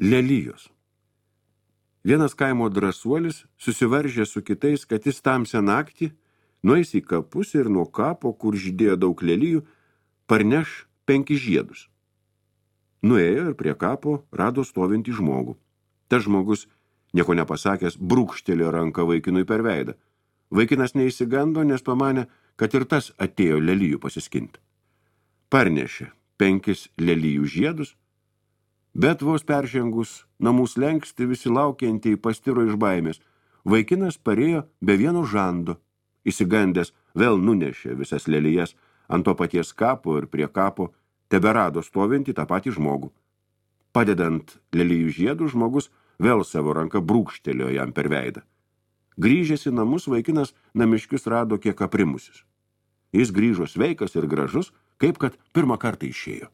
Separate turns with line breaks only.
lelijos. Vienas kaimo drąsuolis susivaržė su kitais, kad jis tamsią naktį nueis į kapus ir nuo kapo, kur žydėjo daug lelijų, parneš 5 žiedus. Nuėjo ir prie kapo rado stovintį žmogų. Tas žmogus, nieko nepasakęs, brūkštelėjo ranką vaikinui per veidą. Vaikinas neįsigando, nes pamanė, kad ir tas atėjo lelijų pasiskinti. Parnešė 5 lelijų žiedus, bet vos peržengus namų slenkstį visi laukiantieji pastiro iš baimės. Vaikinas parėjo be vieno žando. Įsigandęs vėl nunešė visas lelijas ant to paties kapo ir prie kapo teberado stovintį tą patį žmogų. Padedant lelijų žiedų, žmogus vėl savo ranką brūkštelėjo jam per veidą. Grįžęs į namus, vaikinas namiškius rado kiek aprimusius. Jis grįžo sveikas ir gražus, kaip kad pirmą kartą išėjo.